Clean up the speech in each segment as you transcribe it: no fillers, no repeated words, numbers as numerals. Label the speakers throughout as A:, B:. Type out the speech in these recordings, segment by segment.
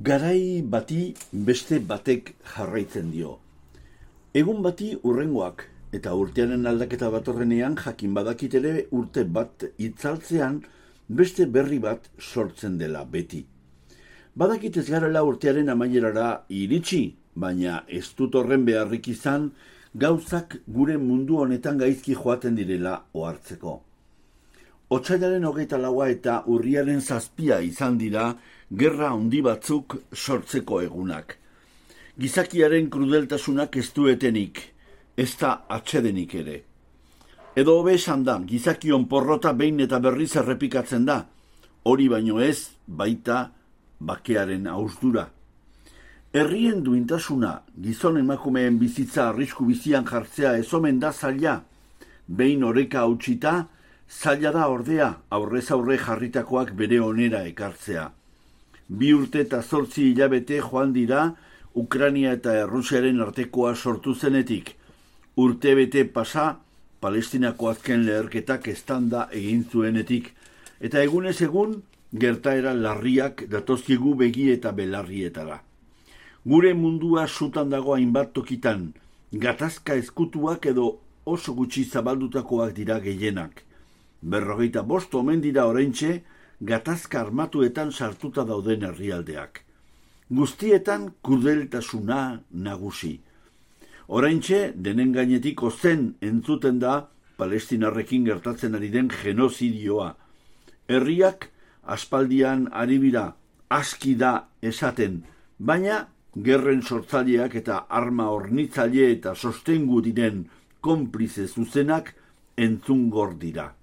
A: Garai bati beste batek jarraitzen dio. Egun bati hurrengoak, eta urtearen aldaketa batorrenean jakin badakit ere urte bat itzaltzean beste berri bat sortzen dela beti. Badakit ez garela urtearen amaierara iritsi, baina ez dut horren beharrik izan gauzak gure mundu honetan gaizki joaten direla ohartzeko. Otsailaren 24 eta urriaren 7 izan dira gerra handi batzuk sortzeko egunak. Gizakiaren krudeltasunak ez du etenik, ez da atsedenik ere. Edo hobe esan da, gizakion porrota behin eta berriz errepikatzen da, hori baino ez baita bakearen ausdura. Herrien duintasuna, gizon emakumeen bizitza arrisku bizian jartzea ez omen da zaila, behin oreka hautsita, zaila da ordea aurrez aurre jarritakoak bere onera ekartzea. 2 urte eta 8 hilabete joan dira Ukraina eta Errusiaren artekoa sortu zenetik. Urtebete pasa Palestinako azken leherketak eztanda egin zuenetik. Eta egunez egun gertaera larriak datozkigu begi eta belarrietara. Gure mundua sutan dago hainbat tokitan, gatazka ezkutuak edo oso gutxi zabaldutakoak dira gehienak. 45 omen dira oraintxe gatazka armatuetan sartuta dauden herrialdeak. Guztietan krudeltasuna nagusi. Oraintxe denen gainetik ozen entzuten da Palestinarrekin gertatzen ari den genozidioa. Herriak aspaldian ari bira, aski da esaten, baina gerren sortzaileak eta arma hornitzaile eta sostengu diren konplize zuzenak entzungor dira.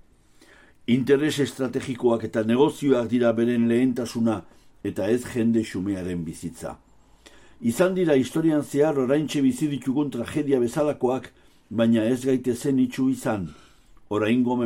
A: Interes estrategikoak eta negozioak dira beren lehentasuna eta ez jende xumearen bizitza. Izan dira historian zehar oraintxe bizi ditugun tragedia bezalakoak, baina ez gaitezen itxu izan. Oraingo